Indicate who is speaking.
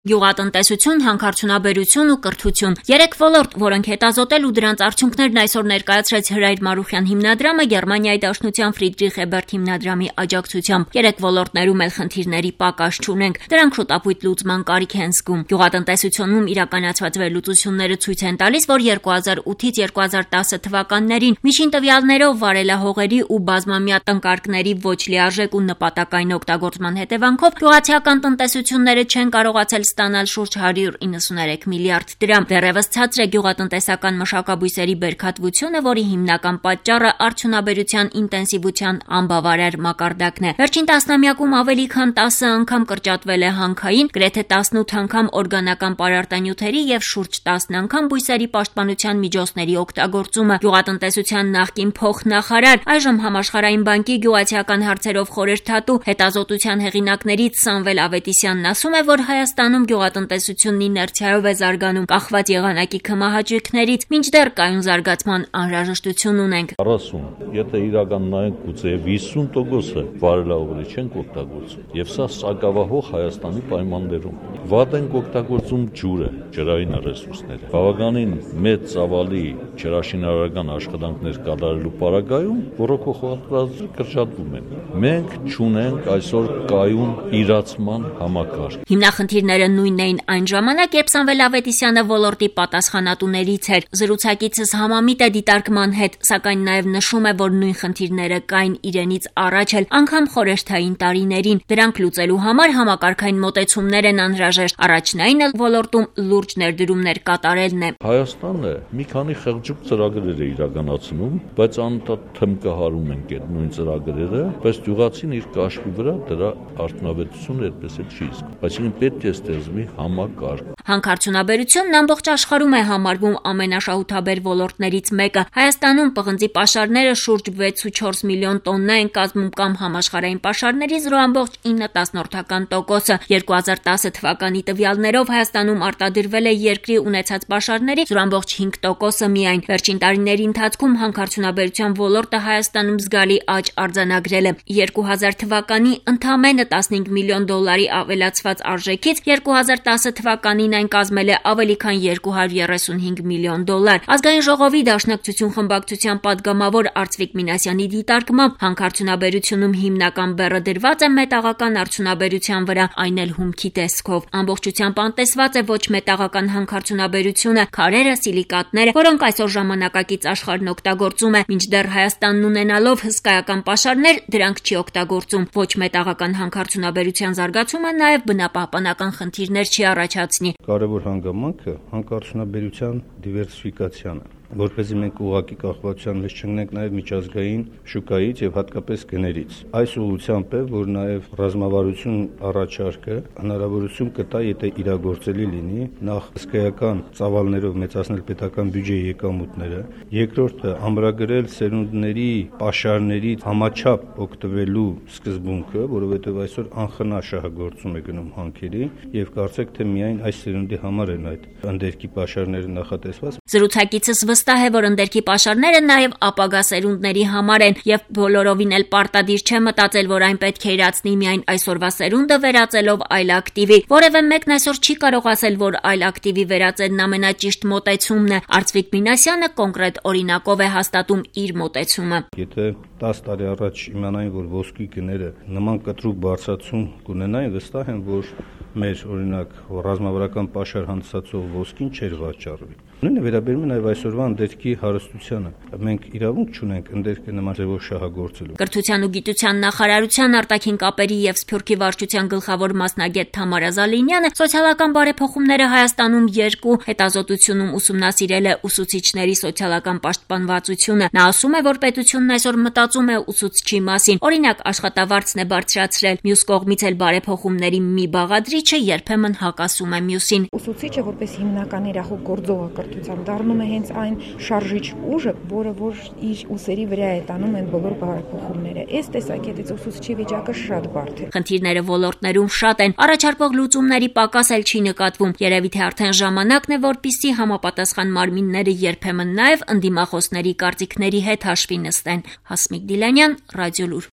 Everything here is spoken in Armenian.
Speaker 1: Գյուղատնտեսություն, հանքարդյունաբերություն ու կրթություն։ Երեք ոլորտ, որոնք հետազոտել ու դրանց արդյունքներն այսօր ներկայացրեց Հրայր Մարուխյան հիմնադրամը Գերմանիայի Դաշնության Ֆրիդրիխ Էբերտ հիմնադրամի աջակցությամբ։ Երեք ոլորտներում էլ խնդիրների պակաս չունենք, դրանք շուտապույտ լուծման կարիք են զգում։ Գյուղատնտեսությունում իրականացված վերլուծությունները ցույց են տալիս, որ 2008-ից 2010 թվականներին միջին տվյալներով վարելահողերի ու բազմամյա տնկարկների ոչ լիարժեք ու նպատակային օգտագործման հետևանքով գյուղացիական տնտեսությունները չեն կարողացել ստանալ շուրջ 193 միլիարդ դրամ։ Դեռևս ցածր է գյուղատնտեսական մշակաբույսերի բերքատվությունը, որի հիմնական պատճառը արդյունաբերության ինտենսիվության անբավարար մակարդակն է։ Վերջին տասնամյակում ավելի քան 10 անգամ կրճատվել է հանքային, գրեթե 18 անգամ օրգանական պարարտանյութերի եւ շուրջ 10 անգամ բույսերի պաշտպանության միջոցների օգտագործումը։ Գյուղատնտեսության նախկին փոխնախարար, այժմ Համաշխարհային բանկի գյուղացիական հարցերով խորհրդատու հետազոտության հեղինակներից Սամվել Ավետիսյանն ասում է, որ Հայաստանում գյուղատնտեսությունն իներցիայով է զարգանում, կախված եղանակի քմահաճույքներից, մինչդեռ կայուն զարգացման անհրաժեշտություն ունենք։
Speaker 2: 40, եթե իրական նայենք, գուցե 50% վարելահողերի չենք օգտագործում, եւ սա սակավահող Հայաստանի պայմաններում։ Վատ ենք օգտագործում ջուրը, ջրային ռեսուրսները։ Բավականին մեծ ծավալի ջրաշինարարական աշխատանքներ կատարելու պարագայում ռոկոխոտրածները կրճատվում են։ Մենք չունենք այսօր կայուն իրացման համակարգ։
Speaker 1: Հիմնախնդիրները նույնն էին այն ժամանակ, երբ Սամվել Ավետիսյանը ոլորտի պատասխանատուներից էր։ Զրուցակիցս համամիտ է դիտարկման հետ, սակայն նաև նշում է, որ նույն խնդիրները կային իրենից առաջ էլ, անգամ խորհրդային տարիներին։ Դրանք լուծելու համար համակարգային մոտեցումներ են անհրաժեշտ։ Առաջնայինը ոլորտում լուրջ ներդրումներ կատարելն է։
Speaker 2: Հայաստանը մի քանի խեղճուկ ծրագրեր է իրականացնում, բայց անընդհատ թմկահարում են այդ նույն ծրագրերը, բայց գյուղացին իր կաշվի վրա դրա արդյունավետությունը այդպես է չի զգում։ Այսինքն պետք է ստեղծվի համակարգ։
Speaker 1: Հանքարդյունաբերությունն ամբողջ աշխարհում է համարվում ամենաշահութաբեր ոլորտներից մեկը։ Հայաստանում պղնձի պաշարները շուրջ 6,4 միլիոն տոննա են կազմում կամ համաշխարհային պաշարների 0,9%։ 2010 թվականի տվյալներով Հայաստանում արտադրվել է երկրի ունեցած պաշարների 0,5% միայն։ Վերջին տարիների ընթացքում հանքարդյունաբերության ոլորտը Հայաստանում զգալի աճ արձանագրել է։ 2000 թվականի ընդամենը 15 միլիոն դոլարի ավելացված արժեքից 2010 թվականին այն կազմել է ավելի քան 235 միլիոն դոլար։ Ազգային ժողովի Դաշնակցություն խմբակցության падգամավոր Արծվիկ Մինասյանի դիտարկմամբ հանքարդյունաբերությունում հիմնական բեռը դրված է մետաղական արդյունաբերության վրա, այն էլ հումքի տեսքով։ Ամբողջությամբ անտեսված է ոչ մետաղական հանքարդյունաբերությունը, քարերը, սիլիկատները, որոնք այսօր ժամանակակից աշխարհն օգտագործում է, մինչդեռ Հայաստանն ունենալով հսկայական պաշարներ, դրանք չի օգտագործում։ Ոչ մետաղական հանքարդյունաբերության զարգացումը նաև բնապահպանական խնդիրներ չի առաջացնի։
Speaker 3: Կարևոր հանգամանքը հանքարդյունաբերության դիվերսիֆիկացիան է, որպեսզի մենք ուղղակի կախվածության մեջ չընկնենք նաև միջազգային շուկայից եւ հատկապես գներից։ Այս ուղղությամբ է, որ նաև ռազմավարություն առաջարկը հնարավորություն կտա, եթե իրագործելի լինի, նախ հսկայական ծավալներով մեծացնել պետական բյուջեի եկամուտները, երկրորդը ամրագրել սերունդների պաշարներից համաչափ օգտվելու սկզբունքը, որովհետեւ այսօր անխնա շահագործում է գնում հանքերի եւ կարծեք թե միայն այս սերունդի համար են այդ ընդերքի պաշարները նախատեսված։
Speaker 1: Զրուցակիցս վստահ է, որ ընդերքի պաշարները նաև ապագա սերունդների համար են եւ բոլորովին էլ պարտադիր չէ մտածել, որ այն պետք է իրացնի միայն այսօրվա սերունդը վերածելով այլ ակտիվի։ Որևէ մեկն այսօր չի կարող ասել, որ այլ ակտիվի վերածելն ամենաճիշտ մոտեցումն է։ Արծվիկ Մինասյանը կոնկրետ օրինակով է հաստատում իր մոտեցումը։
Speaker 3: Եթե 10 տարի առաջ իմանային, որ ոսկի գները նման կտրուկ բարձրացում կունենային, վստահ եմ, որ մեր օրինակ ռազմավարական պաշար հանդիսացող ոսկին չէր վաճառվի։ Նույնը վերաբերում է նաև այսօրվա ընդերքի հարստությանը։ Մենք իրավունք չունենք ընդերքը նման ձևով շահագործելու։
Speaker 1: Կրթության ու գիտության նախարարության արտաքին կապերի եւ Սփյուռքի վարչության գլխավոր մասնագետ Թամարա Զալինյանը սոցիալական բարեփոխումները Հայաստանում 2 հետազոտությունում ուսումնասիրել է ուսուցիչների սոցիալական պաշտպանվածությունը։ Նա ասում է, որ պետությունն այսօր մտածում է ուսուցչի մասին։ Օրինակ աշխատավարձն է բարձրացրել, մյուս կողմից էլ բարեփոխումների մի բաղադրիչը երբեմն հակասում է մյուսին։
Speaker 4: Ուսուցիչը որպես հիմնական իրավունք գործողակրթության դառնում է հենց այն շարժիչ ուժը, որը որ իր ուսերի վրա է տանում են բոլոր բարեփոխումները։ Այս տեսակետից ուսուցչի վիճակը շատ բարդ է։
Speaker 1: Խնդիրները ոլորտներում շատ են, առաջարկվող լուծումների պակաս էլ չի նկատվում։ Երևի թե արդեն ժամանակն է, որպեսզի համապատասխան մարմինները երբեմն նաև ընդդիմախոսների կարծիքների հետ հաշվի նստեն։ Հասմիկ Դիլանյան, Ռադիոլուր։